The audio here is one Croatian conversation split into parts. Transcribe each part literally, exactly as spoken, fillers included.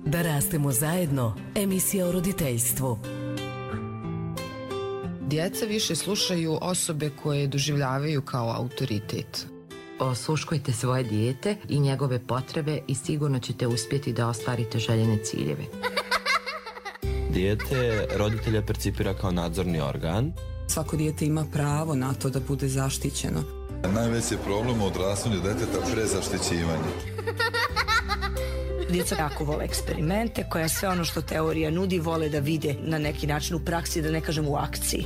Da rastemo zajedno, emisija o roditeljstvu. Djeca više slušaju osobe koje doživljavaju kao autoritet. Osluškujte svoje dijete i njegove potrebe i sigurno ćete uspjeti da ostvarite željene ciljeve. Dijete roditelja percipira kao nadzorni organ. Svako dijete ima pravo na to da bude zaštićeno. Najveći je problem u odrastanju djeteta prezaštićivanje. Djeca jako vole eksperimente, koja sve ono što teorija nudi vole da vide na neki način u praksi, da ne kažem u akciji.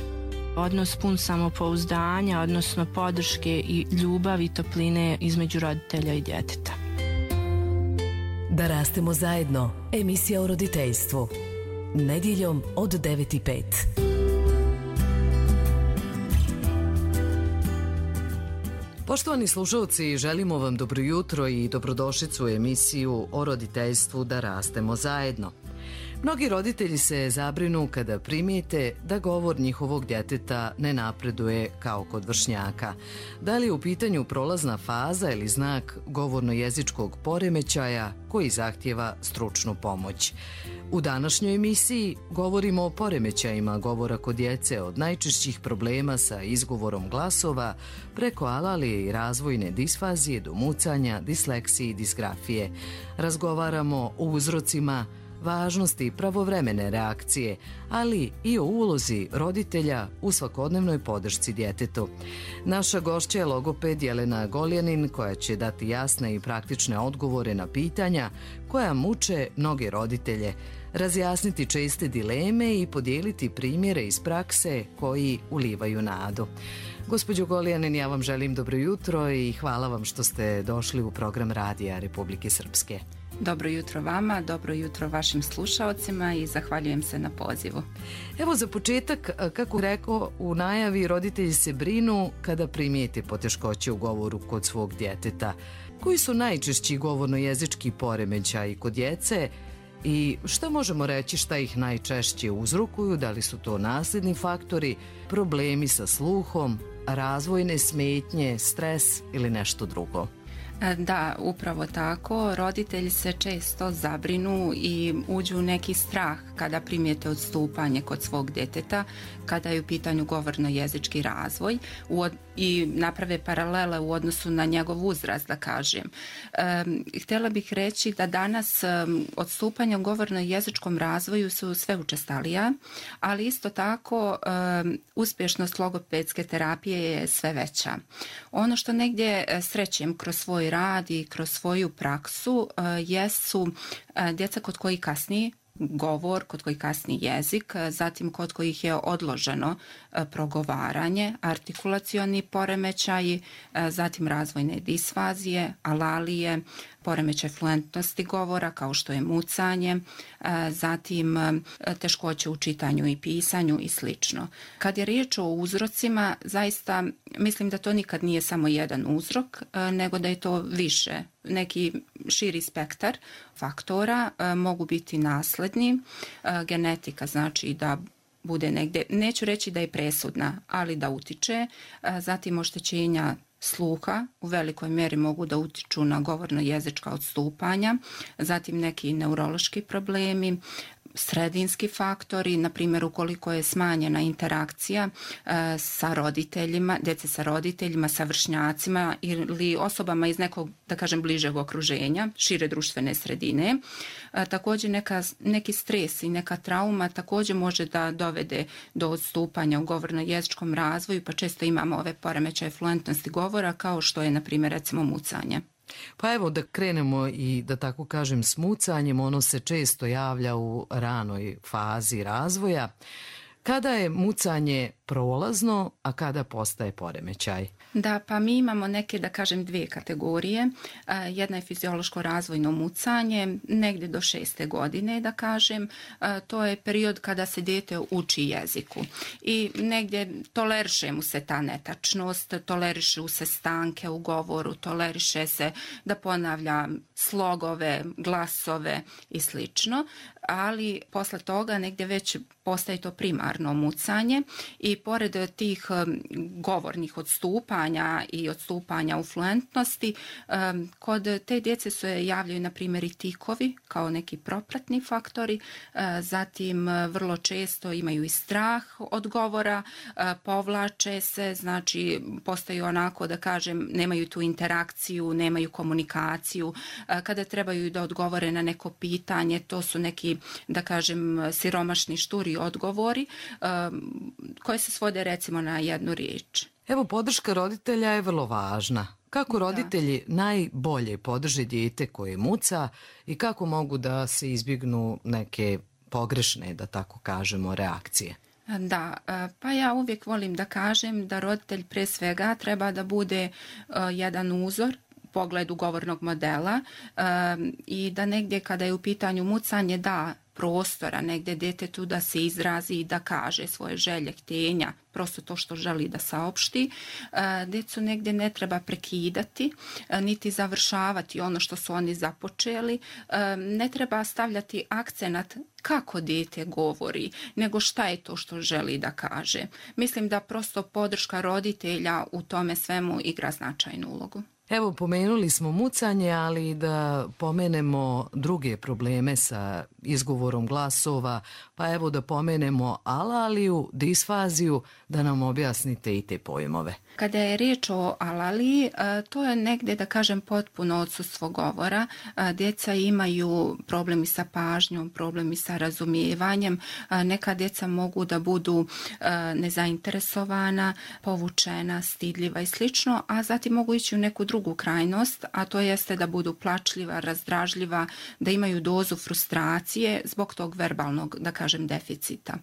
Odnos pun samopouzdanja, odnosno podrške i ljubavi i topline između roditelja i djeteta. Da rastemo zajedno, emisija o roditeljstvu. Nedjeljom od devet i pet. Poštovani slušalci, želimo vam dobro jutro i dobrodošlicu u emisiju o roditeljstvu Da rastemo zajedno. Mnogi roditelji se zabrinu kada primijete da govor njihovog djeteta ne napreduje kao kod vršnjaka. Da li je u pitanju prolazna faza ili znak govorno-jezičkog poremećaja koji zahtjeva stručnu pomoć? U današnjoj emisiji govorimo o poremećajima govora kod djece, od najčešćih problema sa izgovorom glasova preko alalije i razvojne disfazije do mucanja, disleksije i disgrafije. Razgovaramo o uzrocima, važnosti pravovremene reakcije, ali i o ulozi roditelja u svakodnevnoj podršci djetetu. Naša gošća je logoped Jelena Goljanin, koja će dati jasne i praktične odgovore na pitanja koja muče mnoge roditelje, razjasniti česte dileme i podijeliti primjere iz prakse koji ulivaju nadu. Gospođo Goljanin, ja vam želim dobro jutro i hvala vam što ste došli u program Radija Republike Srpske. Dobro jutro vama, dobro jutro vašim slušaocima i zahvaljujem se na pozivu. Evo za početak, kako rekao u najavi, roditelji se brinu kada primijete poteškoće u govoru kod svog djeteta. Koji su najčešći govorno-jezički poremećaji kod djece i šta možemo reći šta ih najčešće uzrokuju? Da li su to nasljedni faktori, problemi sa sluhom, razvojne smetnje, stres ili nešto drugo? Da, upravo tako. Roditelji se često zabrinu i uđu u neki strah kada primijete odstupanje kod svog djeteta, kada je u pitanju govorno-jezički razvoj i naprave paralele u odnosu na njegov uzrast, da kažem. E, htjela bih reći da danas odstupanja u govorno-jezičkom razvoju su sve učestalija, ali isto tako e, uspješnost logopedske terapije je sve veća. Ono što negdje srećem kroz svoj rad i kroz svoju praksu uh, jesu uh, djeca kod koji kasni govor, kod koji kasni jezik, zatim kod kojih je odloženo uh, progovaranje, artikulacioni poremećaji, uh, zatim razvojne disfazije, alalije, poremećaj fluentnosti govora kao što je mucanje, zatim teškoće u čitanju i pisanju i slično. Kad je riječ o uzrocima, zaista mislim da to nikad nije samo jedan uzrok, nego da je to više. Neki širi spektar faktora mogu biti nasledni. Genetika znači da bude negdje, neću reći da je presudna, ali da utiče. Zatim oštećenja sluha u velikoj mjeri mogu da utiču na govorno-jezička odstupanja, zatim neki neurološki problemi, sredinski faktori, na primjer ukoliko je smanjena interakcija e, sa roditeljima, djece sa roditeljima, sa vršnjacima ili osobama iz nekog, da kažem, bližeg okruženja, šire društvene sredine. E, također neka, neki stres i neka trauma također može da dovede do odstupanja u govorno-jezičkom razvoju, pa često imamo ove poremećaje fluentnosti govora kao što je, na primjer, recimo mucanje. Pa evo da krenemo i da tako kažem s mucanjem, ono se često javlja u ranoj fazi razvoja. Kada je mucanje prolazno, a kada postaje poremećaj? Da, pa mi imamo neke, da kažem, dvije kategorije. Jedna je fiziološko razvojno mucanje, negdje do šeste godine, da kažem. To je period kada se dijete uči jeziku. I negdje toleriše mu se ta netačnost, toleriše se stanke u govoru, toleriše se da ponavlja slogove, glasove i slično. Ali posle toga negdje već postaje to primarno mucanje i pored tih govornih odstupanja odstupanja i odstupanja u fluentnosti. Kod te djece se javljaju na primjer i tikovi kao neki propratni faktori, zatim vrlo često imaju i strah od govora, povlače se, znači postaju onako da kažem nemaju tu interakciju, nemaju komunikaciju. Kada trebaju da odgovore na neko pitanje, to su neki da kažem siromašni šturi odgovori koje se svode recimo na jednu riječ. Evo, podrška roditelja je vrlo važna. Kako roditelji da. najbolje podrže dijete koje muca i kako mogu da se izbjegnu neke pogrešne, da tako kažemo, reakcije? Da, pa ja uvijek volim da kažem da roditelj pre svega treba da bude jedan uzor pogledu govornog modela i da negdje kada je u pitanju mucanje da prostora negdje djetetu da se izrazi i da kaže svoje želje, htenja, prosto to što želi da saopšti. Djecu negdje ne treba prekidati, niti završavati ono što su oni započeli. Ne treba stavljati akcenat kako dijete govori, nego šta je to što želi da kaže. Mislim da prosto podrška roditelja u tome svemu igra značajnu ulogu. Evo, pomenuli smo mucanje, ali da pomenemo druge probleme sa izgovorom glasova, pa evo da pomenemo alaliju, disfaziju, da nam objasnite i te pojmove. Kada je riječ o alaliji, to je negdje, da kažem, potpuno odsustvo govora. Djeca imaju problemi sa pažnjom, problemi sa razumijevanjem. Neka djeca mogu da budu nezainteresovana, povučena, stidljiva i slično, a zatim mogu ići u neku drugu krajnost, a to jeste da budu plačljiva, razdražljiva, da imaju dozu frustracije zbog tog verbalnog, da kažem, deficita.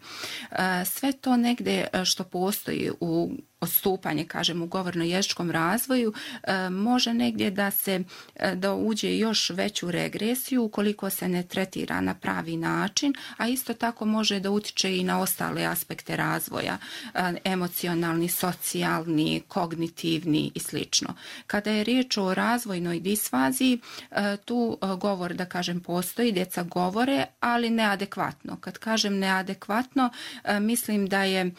Sve to negdje što postoji u odstupanje, kažem, u govorno-jezičkom razvoju, e, može negdje da se da uđe još veću regresiju ukoliko se ne tretira na pravi način, a isto tako može da utiče i na ostale aspekte razvoja, e, emocionalni, socijalni, kognitivni i slično. Kada je riječ o razvojnoj disfaziji, e, tu e, govor, da kažem, postoji, djeca govore, ali neadekvatno. Kad kažem neadekvatno, e, mislim da je e,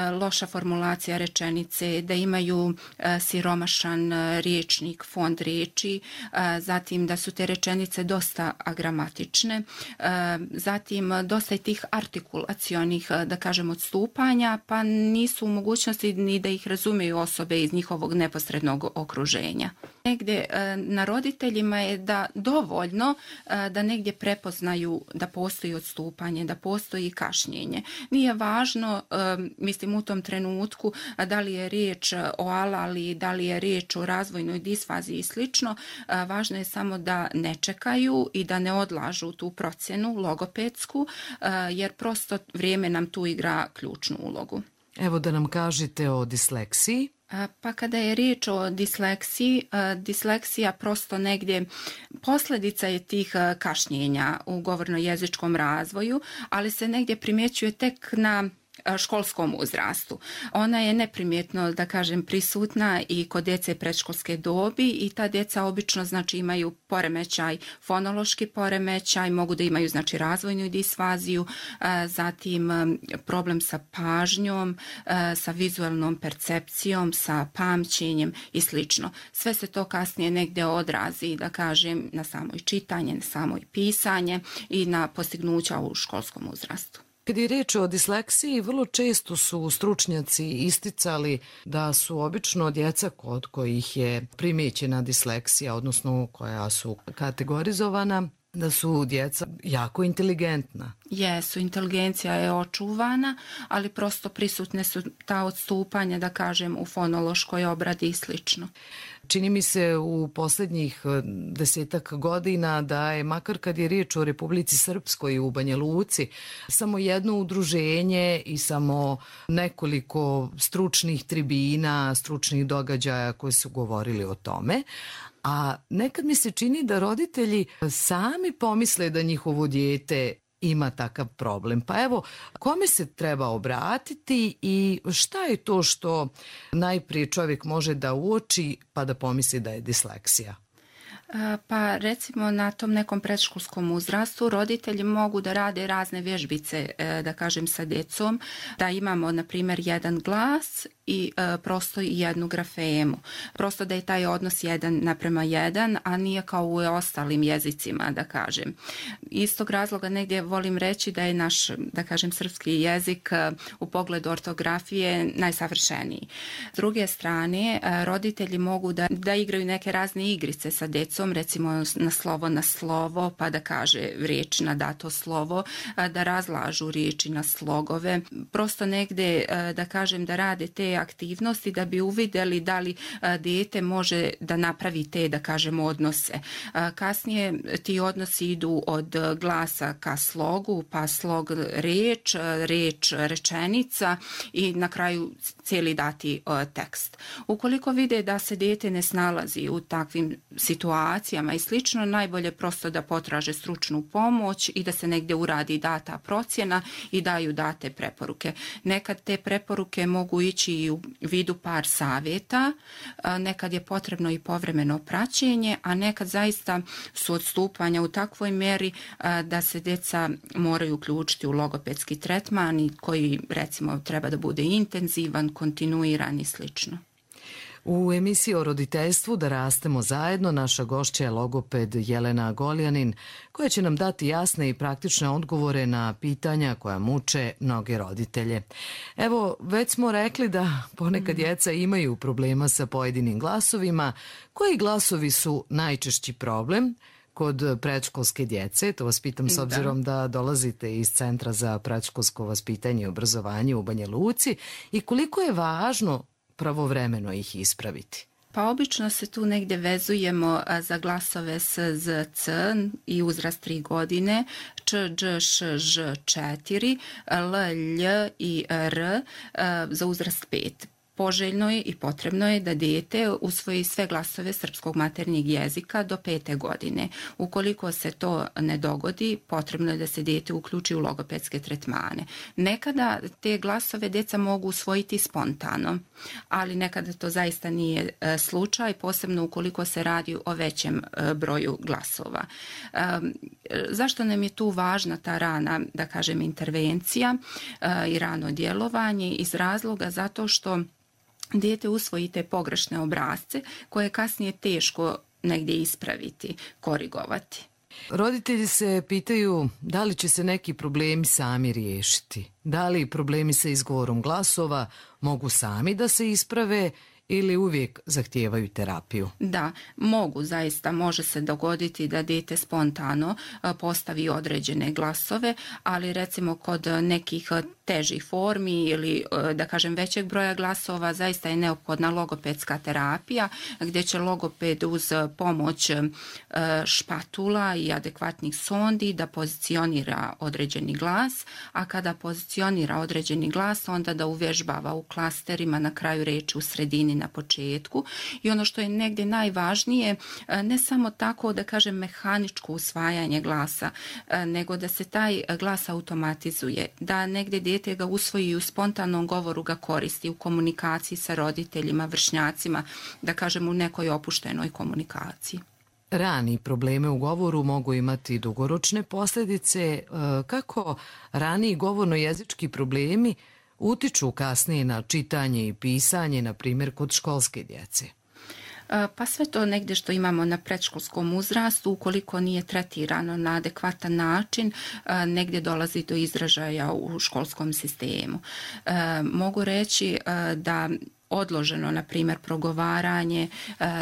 loša formulacija rečenice, da imaju e, siromašan e, riječnik, fond riječi, e, zatim da su te rečenice dosta agramatične, e, zatim dosta je tih artikulacionih, da kažem, odstupanja, pa nisu u mogućnosti ni da ih razumiju osobe iz njihovog neposrednog okruženja. Negdje e, na roditeljima je da dovoljno e, da negdje prepoznaju da postoji odstupanje, da postoji kašnjenje. Nije važno, e, mislim, u tom trenutku da li je riječ o alali, da li je riječ o razvojnoj disfaziji i slično, važno je samo da ne čekaju i da ne odlažu tu procjenu logopedsku, jer prosto vrijeme nam tu igra ključnu ulogu. Evo da nam kažete o disleksiji. Pa kada je riječ o disleksiji, disleksija prosto negdje posljedica je tih kašnjenja u govorno-jezičkom razvoju, ali se negdje primjećuje tek na školskom uzrastu. Ona je neprimjetno, da kažem, prisutna i kod djece predškolske dobi i ta djeca obično, znači, imaju poremećaj, fonološki poremećaj, mogu da imaju, znači, razvojnu disfaziju, zatim problem sa pažnjom, sa vizualnom percepcijom, sa pamćenjem i slično. Sve se to kasnije negdje odrazi, da kažem, na samoj čitanje, na samoj pisanje i na postignuća u školskom uzrastu. Kad je riječ o disleksiji, vrlo često su stručnjaci isticali da su obično djeca kod kojih je primijećena disleksija, odnosno koja su kategorizovana, da su djeca jako inteligentna. Jesu, inteligencija je očuvana, ali prosto prisutne su ta odstupanja, da kažem, u fonološkoj obradi i slično. Čini mi se u posljednjih desetak godina da je, makar kad je riječ o Republici Srpskoj u Banja Luci, samo jedno udruženje i samo nekoliko stručnih tribina, stručnih događaja koji su govorili o tome. A nekad mi se čini da roditelji sami pomisle da njihovo dijete ima takav problem. Pa evo, kome se treba obratiti i šta je to što najprije čovjek može da uoči pa da pomisli da je disleksija? Pa recimo na tom nekom predškolskom uzrastu roditelji mogu da rade razne vježbice, da kažem, sa djecom, da imamo na primjer jedan glas i prosto jednu grafemu. Prosto da je taj odnos jedan naprema jedan, a nije kao u ostalim jezicima, da kažem. Istog razloga negdje volim reći da je naš, da kažem, srpski jezik u pogledu ortografije najsavršeniji. S druge strane, roditelji mogu da, da igraju neke razne igrice sa decom, recimo na slovo na slovo, pa da kaže riječ na dato slovo, da razlažu riječi na slogove. Prosto negdje, da kažem, da rade te aktivnosti da bi uvidjeli da li dijete može da napravi te, da kažem, odnose. Kasnije ti odnosi idu od glasa ka slogu, pa slog riječ, riječ rečenica i na kraju cijeli dati tekst. Ukoliko vide da se dijete ne snalazi u takvim situacijama i slično, najbolje prosto da potraže stručnu pomoć i da se negdje uradi data procjena i daju date preporuke. Nekad te preporuke mogu ići i u vidu par savjeta, nekad je potrebno i povremeno praćenje, a nekad zaista su odstupanja u takvoj mjeri da se djeca moraju uključiti u logopedski tretman koji recimo treba da bude intenzivan, kontinuiran i slično. U emisiji o roditeljstvu Da rastemo zajedno naša gošća je logoped Jelena Goljanin, koja će nam dati jasne i praktične odgovore na pitanja koja muče mnoge roditelje. Evo, već smo rekli da ponekad djeca imaju problema sa pojedinim glasovima. Koji glasovi su najčešći problem kod predškolske djece? To vas pitam s obzirom da dolazite iz Centra za predškolsko vaspitanje i obrazovanje u Banja Luci i koliko je važno pravovremeno ih ispraviti. Pa obično se tu negdje vezujemo za glasove S, Z, C i uzrast tri godine, Č, Đ, Š, Ž četiri, L, Lj i R za uzrast pet. Poželjno je i potrebno je da dijete usvoji sve glasove srpskog maternjeg jezika do pete godine. Ukoliko se to ne dogodi, potrebno je da se dijete uključi u logopedske tretmane. Nekada te glasove djeca mogu usvojiti spontano, ali nekada to zaista nije slučaj, posebno ukoliko se radi o većem broju glasova. Zašto nam je tu važna ta rana, da kažem, intervencija i rano djelovanje? Iz razloga zato što dijete usvoji te pogrešne obrasce koje je kasnije teško negdje ispraviti, korigovati. Roditelji se pitaju da li će se neki problemi sami riješiti. Da li problemi sa izgovorom glasova mogu sami da se isprave ili uvijek zahtijevaju terapiju? Da, mogu, zaista može se dogoditi da dijete spontano postavi određene glasove, ali recimo kod nekih težih formi ili da kažem većeg broja glasova zaista je neophodna logopedska terapija gdje će logoped uz pomoć špatula i adekvatnih sondi da pozicionira određeni glas, a kada pozicionira određeni glas onda da uvježbava u klasterima na kraju riječi u sredini na početku. I ono što je negdje najvažnije, ne samo tako da kažem mehaničko usvajanje glasa, nego da se taj glas automatizuje, da negdje dijete ga usvoji i u spontanom govoru ga koristi u komunikaciji sa roditeljima, vršnjacima, da kažem u nekoj opuštenoj komunikaciji. Rani probleme u govoru mogu imati dugoročne posljedice. Kako rani govorno-jezički problemi utiču kasnije na čitanje i pisanje, na primjer kod školske djece? Pa sve to negdje što imamo na predškolskom uzrastu, ukoliko nije tretirano na adekvatan način, negdje dolazi do izražaja u školskom sistemu. Mogu reći da odloženo, na primjer, progovaranje,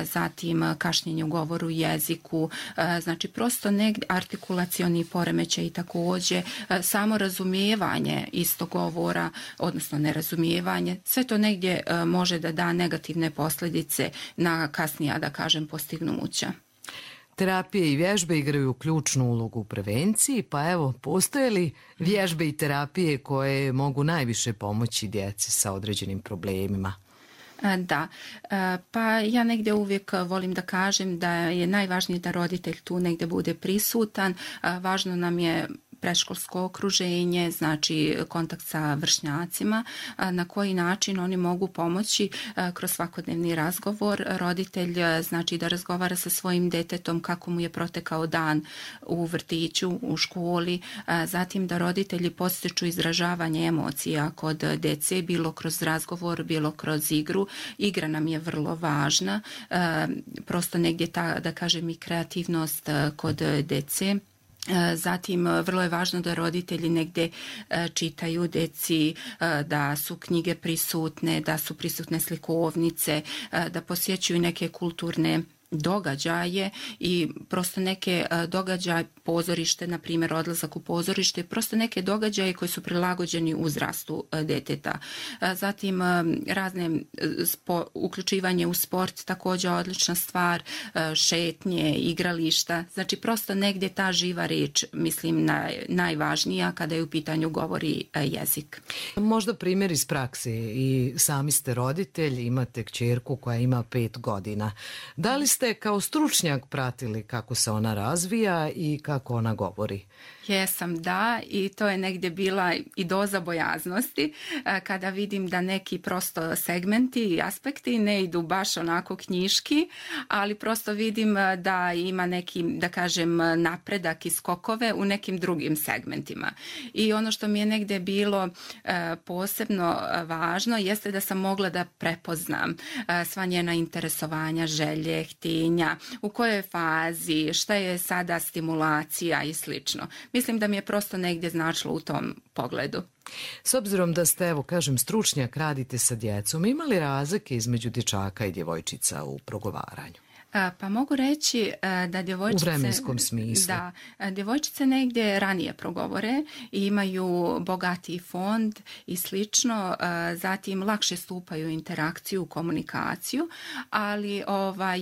zatim kašnjenje u govoru jeziku, znači prosto negdje artikulacioni poremećaj i također samo razumijevanje istog govora, odnosno nerazumijevanje, sve to negdje može da da negativne posljedice na kasnija, da kažem, postignuća. Terapije i vježbe igraju ključnu ulogu u prevenciji, pa evo, postoje li vježbe i terapije koje mogu najviše pomoći djeci sa određenim problemima? Da, pa ja negdje uvijek volim da kažem da je najvažnije da roditelj tu negdje bude prisutan. Važno nam je predškolsko okruženje, znači kontakt sa vršnjacima, na koji način oni mogu pomoći kroz svakodnevni razgovor. Roditelj znači da razgovara sa svojim detetom kako mu je protekao dan u vrtiću, u školi, zatim da roditelji podstiču izražavanje emocija kod dece, bilo kroz razgovor, bilo kroz igru. Igra nam je vrlo važna, prosto negdje ta, da kažem, i kreativnost kod dece. Zatim, vrlo je važno da roditelji negdje čitaju deci, da su knjige prisutne, da su prisutne slikovnice, da posjećuju neke kulturne događaje i prosto neke događaje, pozorište, na primjer odlazak u pozorište, prosto neke događaje koji su prilagođeni uzrastu deteta. Zatim razne spo, uključivanje u sport, također odlična stvar, šetnje, igrališta, znači prosto negdje ta živa riječ, mislim, naj, najvažnija kada je u pitanju govori jezik. Možda primjer iz prakse, i sami ste roditelj, imate kćerku koja ima pet godina. Da li ste kao stručnjak pratili kako se ona razvija i kako ona govori? Jesam, da, i to je negdje bila i doza bojaznosti kada vidim da neki prosto segmenti i aspekti ne idu baš onako knjiški, ali prosto vidim da ima neki, da kažem, napredak i skokove u nekim drugim segmentima. I ono što mi je negdje bilo posebno važno jeste da sam mogla da prepoznam sva njena interesovanja, želje, htenja, u kojoj fazi, šta je sada stimulacija i slično. Mislim da mi je prosto negdje značilo u tom pogledu. S obzirom da ste, evo kažem, stručnjak, radite sa djecom, ima li razlike između dječaka i djevojčica u progovaranju? Pa mogu reći da djevojčice... U vremenskom smislu. Da, djevojčice negdje ranije progovore i imaju bogatiji fond i slično, zatim lakše stupaju u interakciju, komunikaciju, ali ovaj,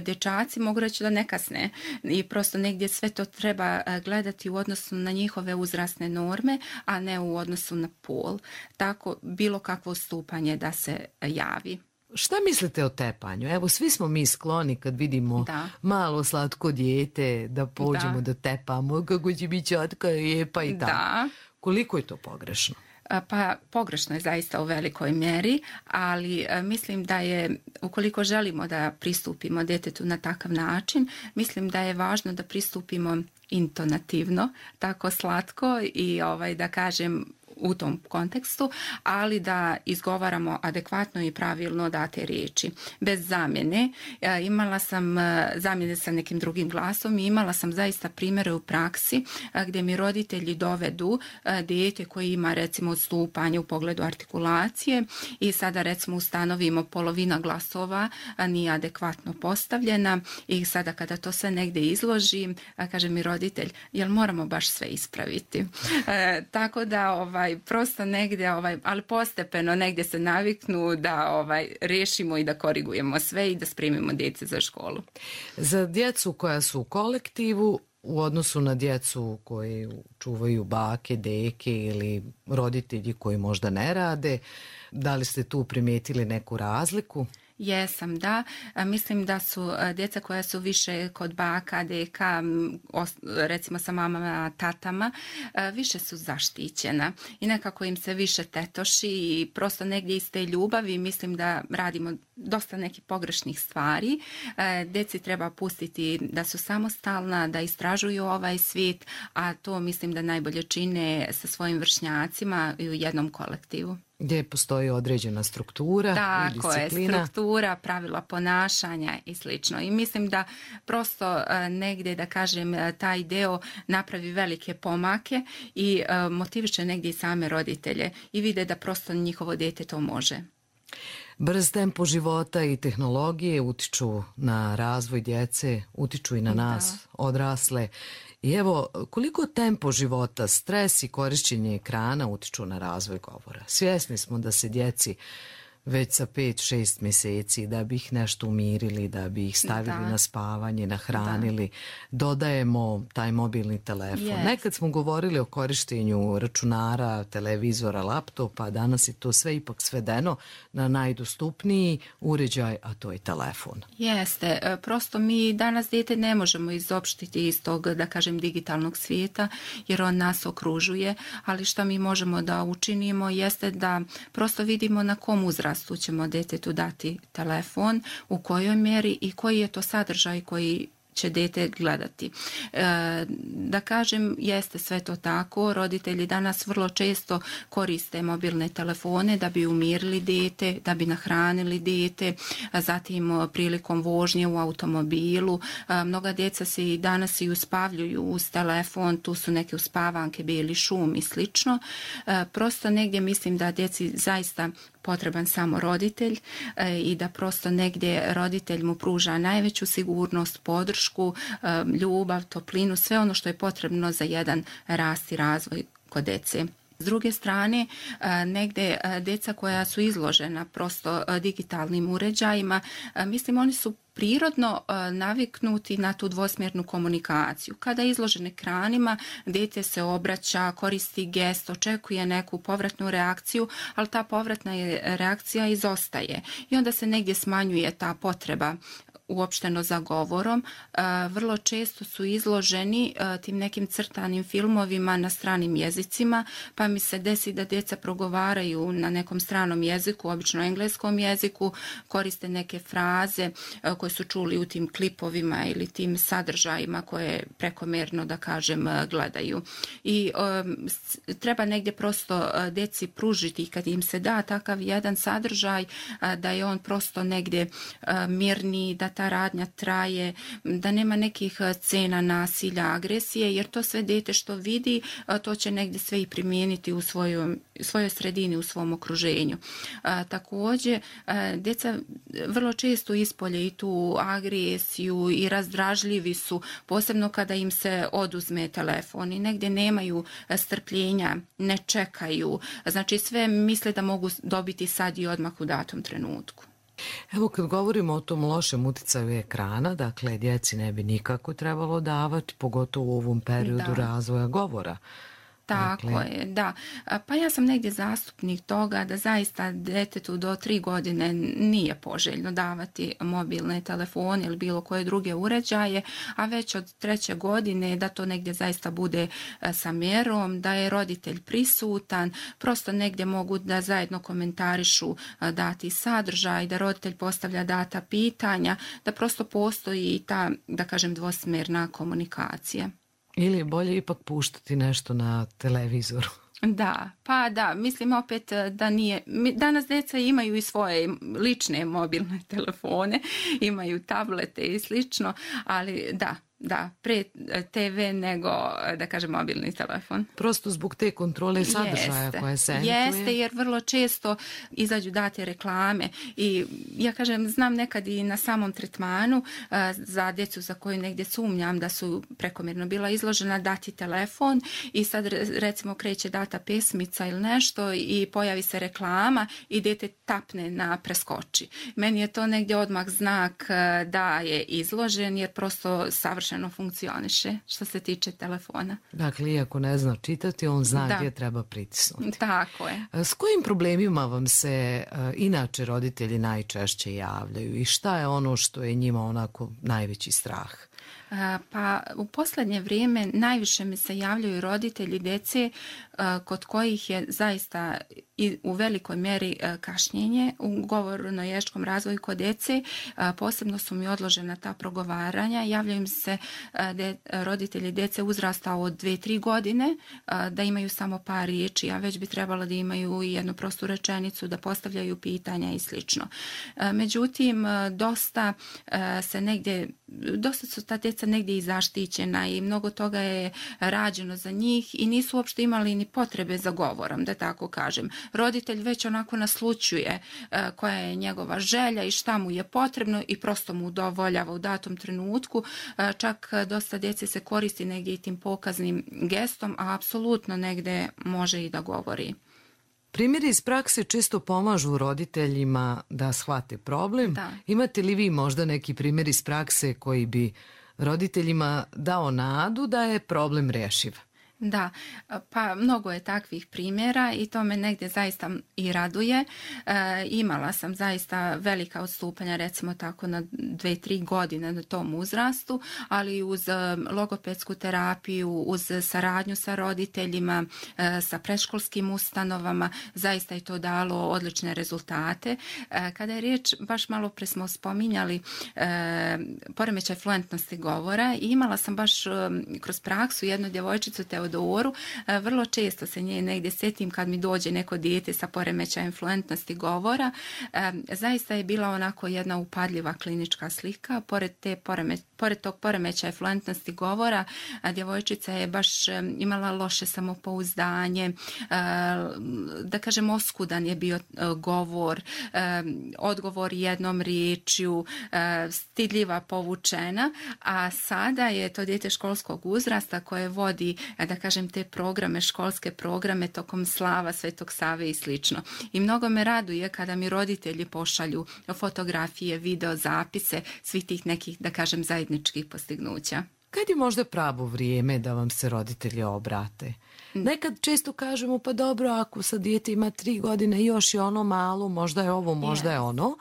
dječaci mogu reći da ne kasne i prosto negdje sve to treba gledati u odnosu na njihove uzrasne norme, a ne u odnosu na pol. Tako bilo kakvo stupanje da se javi. Šta mislite o tepanju? Evo, svi smo mi skloni kad vidimo da. malo slatko dijete da pođemo da, da tepamo, kako će biti čatka, lijepa i tako. Da. Koliko je to pogrešno? Pa pogrešno je zaista u velikoj mjeri, ali mislim da je, ukoliko želimo da pristupimo djetetu na takav način, mislim da je važno da pristupimo intonativno, tako slatko i ovaj, da kažem, u tom kontekstu, ali da izgovaramo adekvatno i pravilno date riječi. Bez zamjene. Imala sam zamjene sa nekim drugim glasom i imala sam zaista primjere u praksi gdje mi roditelji dovedu dijete koji ima recimo odstupanje u pogledu artikulacije i sada recimo ustanovimo polovina glasova nije adekvatno postavljena i sada kada to sve negdje izložim, kaže mi roditelj, jel moramo baš sve ispraviti? E, tako da ovaj prosto negdje, ovaj, ali postepeno negdje se naviknu da ovaj, riješimo i da korigujemo sve i da spremimo djece za školu. Za djecu koja su u kolektivu, u odnosu na djecu koji čuvaju bake, deke ili roditelji koji možda ne rade, da li ste tu primijetili neku razliku? Jesam, da. Mislim da su djeca koja su više kod baka, deka, recimo sa mamama, tatama, više su zaštićena i nekako im se više tetoši i prosto negdje iz te ljubavi mislim da radimo dosta nekih pogrešnih stvari. Djeci treba pustiti da su samostalna, da istražuju ovaj svijet, a to mislim da najbolje čine sa svojim vršnjacima i u jednom kolektivu. Gdje postoji određena struktura da, i disciplina. Tako je, struktura, pravila ponašanja i slično. I mislim da prosto negdje, da kažem, taj deo napravi velike pomake i motiviše negdje i same roditelje i vide da prosto njihovo dijete to može. Brz tempo života i tehnologije utiču na razvoj djece, utiču i na nas, da. odrasle. I evo, koliko tempo života, stres i korišćenje ekrana utiču na razvoj govora? Svjesni smo da se djeci već sa pet šest mjeseci, da bi ih nešto umirili, da bi ih stavili Da. na spavanje, nahranili, dodajemo taj mobilni telefon. Jest. Nekad smo govorili o korištenju računara, televizora, laptopa, danas je to sve ipak svedeno na najdostupniji uređaj, a to je telefon. Jeste, e, prosto mi danas dijete ne možemo izopštiti iz tog, da kažem, digitalnog svijeta, jer on nas okružuje, ali što mi možemo da učinimo jeste da prosto vidimo na kom uzrastu ćemo djetetu dati telefon, u kojoj mjeri i koji je to sadržaj koji će dijete gledati. E, da kažem, jeste sve to tako, roditelji danas vrlo često koriste mobilne telefone da bi umirili dijete, da bi nahranili dijete, a zatim prilikom vožnje u automobilu. A, mnoga djeca se i danas i uspavljuju uz telefon, tu su neke uspavanke, bijeli šum i slično. A, prosto negdje mislim da djeci zaista potreban samo roditelj e, i da prosto negdje roditelj mu pruža najveću sigurnost, podršku, e, ljubav, toplinu, sve ono što je potrebno za jedan rast i razvoj kod djece. S druge strane, negdje djeca koja su izložena prosto digitalnim uređajima, mislim oni su prirodno naviknuti na tu dvosmjernu komunikaciju. Kada je izložen ekranima, dijete se obraća, koristi gest, očekuje neku povratnu reakciju, ali ta povratna reakcija izostaje i onda se negdje smanjuje ta potreba uopšteno za govorom. Vrlo često su izloženi tim nekim crtanim filmovima na stranim jezicima, pa mi se desi da djeca progovaraju na nekom stranom jeziku, obično engleskom jeziku, koriste neke fraze koje su čuli u tim klipovima ili tim sadržajima koje prekomjerno, da kažem, gledaju. I um, treba negdje prosto djeci pružiti, kad im se da takav jedan sadržaj, da je on prosto negdje mirniji, da ta radnja traje, da nema nekih scena nasilja, agresije, jer to sve dijete što vidi, to će negdje sve i primijeniti u svojoj, svojoj sredini, u svom okruženju. A, također, a, djeca vrlo često ispolje i tu agresiju i razdražljivi su, posebno kada im se oduzme telefon i negdje nemaju strpljenja, ne čekaju, znači sve misle da mogu dobiti sad i odmah u datom trenutku. Evo kad govorimo o tom lošem uticaju ekrana, dakle djeci ne bi nikako trebalo davati, pogotovo u ovom periodu Da. razvoja govora. Tako Dakle, je, da. Pa ja sam negdje zastupnik toga da zaista djetetu do tri godine nije poželjno davati mobilne telefone ili bilo koje druge uređaje, a već od treće godine da to negdje zaista bude sa mjerom, da je roditelj prisutan, prosto negdje mogu da zajedno komentarišu dati sadržaj, da roditelj postavlja data pitanja, da prosto postoji ta, da kažem, dvosmjerna komunikacija. ili je bolje ipak puštati nešto na televizoru. Da, pa da, mislim opet da nije, danas djeca imaju i svoje lične mobilne telefone, imaju tablete i slično, ali da, da, pre te ve nego, da kažem, mobilni telefon. Prosto zbog te kontrole sadržaja Jeste, koja se emituje. Jeste, jer vrlo često izađu date reklame i ja kažem, znam nekad i na samom tretmanu uh, za djecu za koju negdje sumnjam da su prekomjerno bila izložena, dati telefon i sad recimo kreće data pesmica ili nešto i pojavi se reklama i dijete tapne na preskoči. Meni je to negdje odmah znak uh, da je izložen, jer prosto savršeno funkcioniše što se tiče telefona. Dakle, iako ne zna čitati, on zna Da. gdje treba pritisnuti. Tako je. S kojim problemima vam se uh, inače roditelji najčešće javljaju i šta je ono što je njima onako najveći strah? Pa u posljednje vrijeme najviše mi se javljaju roditelji djece kod kojih je zaista i u velikoj mjeri kašnjenje u govorno-jezičkom razvoju kod djece. Posebno su mi odložena ta progovaranja. Javljaju mi se de, roditelji djece uzrasta od dvije do tri godine da imaju samo par riječi, a već bi trebalo da imaju i jednu prostu rečenicu, da postavljaju pitanja i slično. Međutim, dosta se negdje, dosta su ta djeca negdje i zaštićena i mnogo toga je rađeno za njih i nisu uopšte imali ni potrebe za govorom, da tako kažem. Roditelj već onako naslućuje uh, koja je njegova želja i šta mu je potrebno i prosto mu udovoljava u datom trenutku. Uh, čak dosta djece se koristi negdje i tim pokaznim gestom, a apsolutno negdje može i da govori. Primjeri iz prakse često pomažu roditeljima da shvate problem. Da. Imate li vi možda neki primjer iz prakse koji bi roditeljima dao nadu da je problem rješiv? Da, pa mnogo je takvih primjera i to me negdje zaista i raduje. E, imala sam zaista velika odstupanja, recimo tako na dve, tri godine na tom uzrastu, ali uz logopedsku terapiju, uz saradnju sa roditeljima, e, sa predškolskim ustanovama, zaista je to dalo odlične rezultate. E, kada je riječ, baš malo pre smo spominjali e, poremećaj fluentnosti govora i imala sam baš e, kroz praksu jednu djevojčicu Teodoru. Vrlo često se nje negdje sjetim kad mi dođe neko dijete sa poremećajem fluentnosti govora. Zaista je bila onako jedna upadljiva klinička slika. Pored, te poremeć, pored tog poremećaja fluentnosti govora, djevojčica je baš imala loše samopouzdanje, da kažem oskudan je bio govor, odgovor jednom riječju, stidljiva, povučena, a sada je to dijete školskog uzrasta koje vodi, da kažem, te programe, školske programe tokom slava Svetog Save i slično. I mnogo me raduje kada mi roditelji pošalju fotografije, video zapise svih tih nekih, da kažem, zajedničkih postignuća. Kad je možda pravo vrijeme da vam se roditelji obrate? Nekad često kažemo, pa dobro, ako sad dijete ima tri godine i još je ono malo, možda je ovo, možda je ono.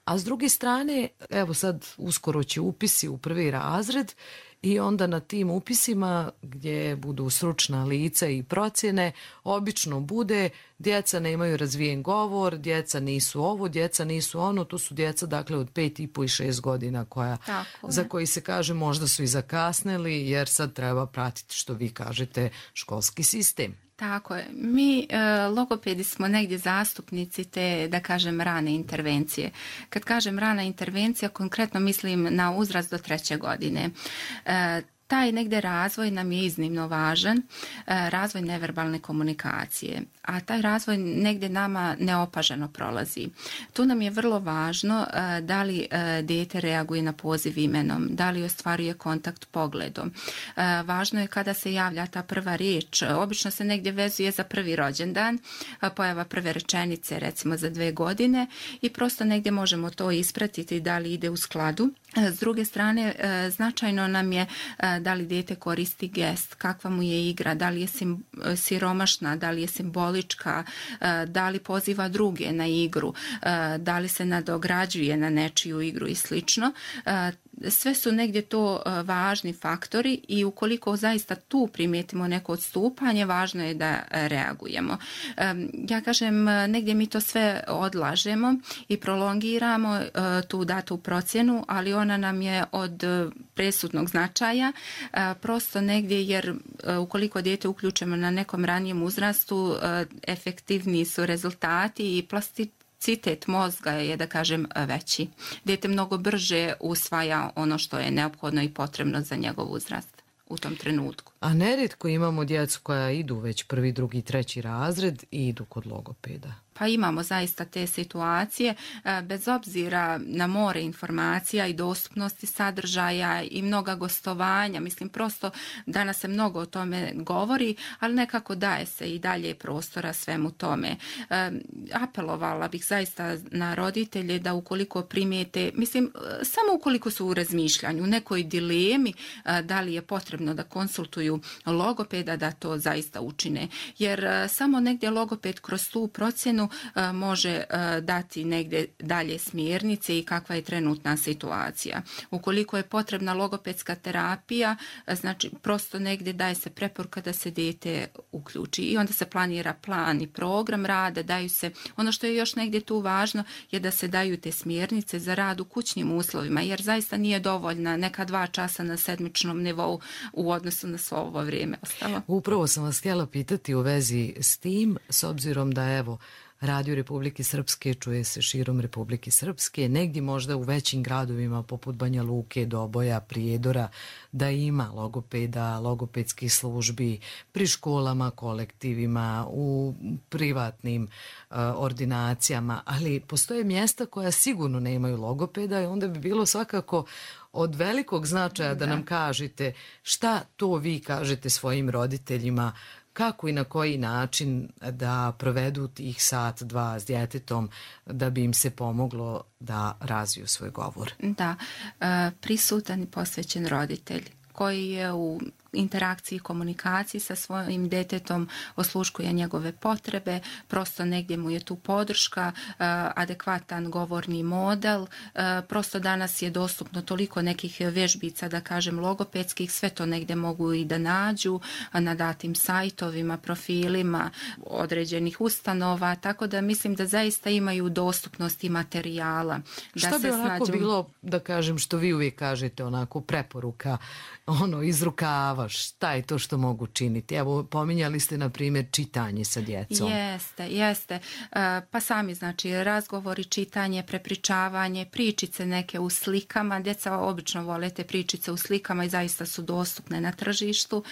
A s druge strane, evo sad uskoro će upisi u prvi razred i onda na tim upisima gdje budu stručna lica i procjene, obično bude djeca nemaju razvijen govor, djeca nisu ovo, djeca nisu ono, tu su djeca dakle od pet i po i šest godina koja, za koji se kaže možda su i zakasnili jer sad treba pratiti, što vi kažete, školski sistem. Tako je. Mi e, logopedi smo negdje zastupnici te, da kažem, rane intervencije. Kad kažem rana intervencija, konkretno mislim na uzrast do treće godine. E, Taj negdje razvoj nam je iznimno važan, razvoj neverbalne komunikacije, a taj razvoj negdje nama neopaženo prolazi. Tu nam je vrlo važno da li dijete reaguje na poziv imenom, da li ostvaruje kontakt pogledom. Važno je kada se javlja ta prva riječ, obično se negdje vezuje za prvi rođendan, pojava prve rečenice recimo za dve godine i prosto negdje možemo to ispratiti da li ide u skladu. S druge strane, značajno nam je da li dijete koristi gest, kakva mu je igra, da li je sim, siromašna, da li je simbolička, da li poziva druge na igru, da li se nadograđuje na nečiju igru i slično. Sve su negdje to važni faktori i ukoliko zaista tu primijetimo neko odstupanje, važno je da reagujemo. Ja kažem, negdje mi to sve odlažemo i prolongiramo tu datu procjenu, ali ona nam je od presudnog značaja, prosto negdje jer ukoliko dijete uključimo na nekom ranijem uzrastu, efektivniji su rezultati i plastični citet mozga je, da kažem, veći. Dijete mnogo brže usvaja ono što je neophodno i potrebno za njegov uzrast u tom trenutku. A nerijetko imamo djecu koja idu već prvi, drugi, treći razred i idu kod logopeda. Pa imamo zaista te situacije, bez obzira na more informacija i dostupnosti sadržaja i mnoga gostovanja. Mislim, prosto danas se mnogo o tome govori, ali nekako daje se i dalje prostora svemu tome. Apelovala bih zaista na roditelje da ukoliko primijete, mislim, samo ukoliko su u razmišljanju, u nekoj dilemi da li je potrebno da konsultuju logopeda, da to zaista učine. Jer samo negdje logoped kroz tu procjenu može dati negdje dalje smjernice i kakva je trenutna situacija. Ukoliko je potrebna logopedska terapija, znači prosto negdje daje se preporuka da se dijete uključi i onda se planira plan i program rada, daju se, ono što je još negdje tu važno je da se daju te smjernice za rad u kućnim uslovima, jer zaista nije dovoljna neka dva časa na sedmičnom nivou u odnosu na svo ovo vrijeme ostalo. Upravo sam vas htjela pitati u vezi s tim, s obzirom da evo Radio Republike Srpske čuje se širom Republike Srpske, negdje možda u većim gradovima poput Banja Luke, Doboja, Prijedora, da ima logopeda, logopedskih službi pri školama, kolektivima, u privatnim uh, ordinacijama, ali postoje mjesta koja sigurno nemaju logopeda i onda bi bilo svakako od velikog značaja da nam kažete šta to vi kažete svojim roditeljima kako i na koji način da provedu tih sat, dva s djetetom da bi im se pomoglo da razviju svoj govor. Da, prisutan i posvećen roditelj koji je u interakciji i komunikaciji sa svojim detetom, osluškuje njegove potrebe, prosto negdje mu je tu podrška, adekvatan govorni model, prosto danas je dostupno toliko nekih vježbica, da kažem logopedskih, sve to negdje mogu i da nađu na datim sajtovima, profilima određenih ustanova, tako da mislim da zaista imaju dostupnost i materijala. Da Šta bi se onako snađu... bilo, da kažem, što vi uvijek kažete, onako preporuka, ono, iz rukava, šta je to što mogu činiti? Evo, pominjali ste, na primjer, čitanje sa djecom. Jeste, jeste. Pa sami, znači, razgovori, čitanje, prepričavanje, pričice neke u slikama. Djeca obično vole te pričice u slikama i zaista su dostupne na tržištu.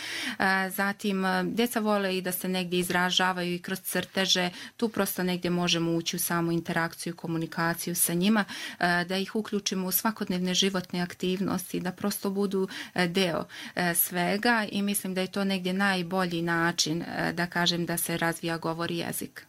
Zatim, djeca vole i da se negdje izražavaju i kroz crteže. Tu prosto negdje možemo ući u samu interakciju, komunikaciju sa njima, da ih uključimo u svakodnevne životne aktivnosti, da prosto budu deo svega i mislim da je to negdje najbolji način, da kažem, da se razvija govor i jezik.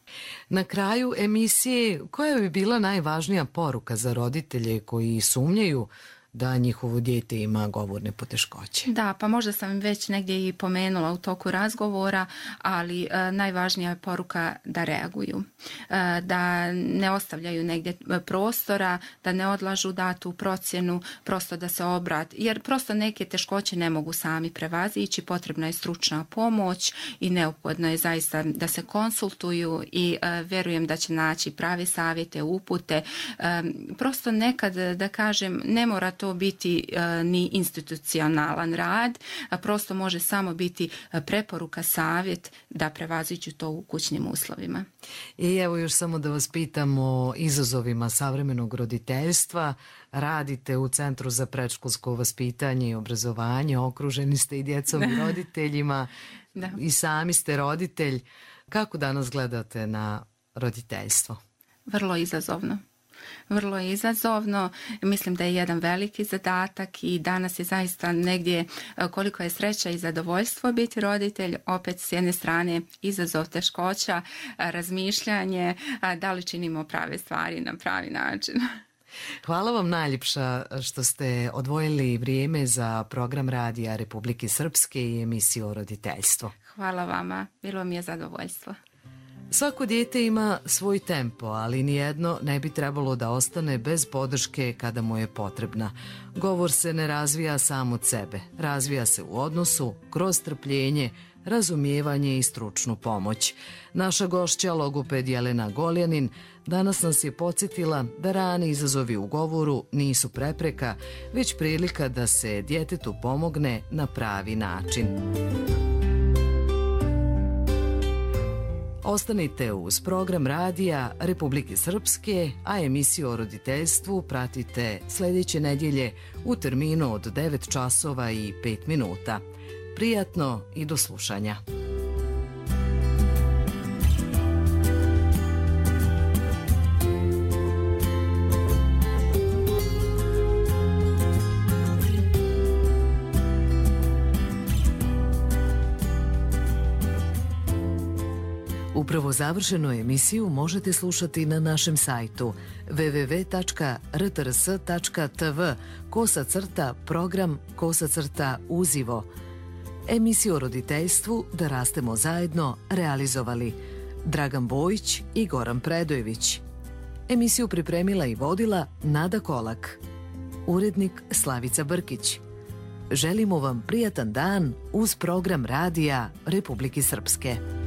Na kraju emisije, koja bi bila najvažnija poruka za roditelje koji sumnjaju da njihovo dijete ima govorne poteškoće? Da, pa možda sam već negdje i pomenula u toku razgovora, ali e, najvažnija je poruka da reaguju, e, da ne ostavljaju negdje prostora, da ne odlažu datu procjenu, prosto da se obrati, jer prosto neke teškoće ne mogu sami prevazići, potrebna je stručna pomoć i neophodno je zaista da se konsultuju i e, vjerujem da će naći prave savjete, upute. E, prosto nekad, da kažem, ne mora to biti e, ni institucionalan rad, a prosto može samo biti preporuka, savjet da prevaziđu to u kućnim uslovima. I evo još samo da vas pitam o izazovima savremenog roditeljstva. Radite u Centru za predškolsko vaspitanje i obrazovanje, okruženi ste i djecom i roditeljima, da. I sami ste roditelj. Kako danas gledate na roditeljstvo? Vrlo izazovno. Vrlo je izazovno, mislim da je jedan veliki zadatak i danas je zaista negdje koliko je sreća i zadovoljstvo biti roditelj, opet s jedne strane izazov, teškoća, razmišljanje, da li činimo prave stvari na pravi način. Hvala vam najljepša što ste odvojili vrijeme za program Radija Republike Srpske i emisiju o roditeljstvu. Hvala vama, bilo mi je zadovoljstvo. Svako dijete ima svoj tempo, ali nijedno ne bi trebalo da ostane bez podrške kada mu je potrebna. Govor se ne razvija sam od sebe, razvija se u odnosu, kroz trpljenje, razumijevanje i stručnu pomoć. Naša gošća, logoped Jelena Goljanin, danas nas je podsjetila da rani izazovi u govoru nisu prepreka, već prilika da se djetetu pomogne na pravi način. Ostanite uz program Radija Republike Srpske, a emisiju o roditeljstvu pratite sljedeće nedjelje u terminu od devet časova i pet minuta. Prijatno i do slušanja. Upravo završenu emisiju možete slušati na našem sajtu w w w tačka r t r s tačka t v kosa crta program kosa crta uzivo. Emisiju o roditeljstvu Da rastemo zajedno realizovali Dragan Bojić i Goran Predojević. Emisiju pripremila i vodila Nada Kolak. Urednik Slavica Brkić. Želimo vam prijatan dan uz program Radija Republike Srpske.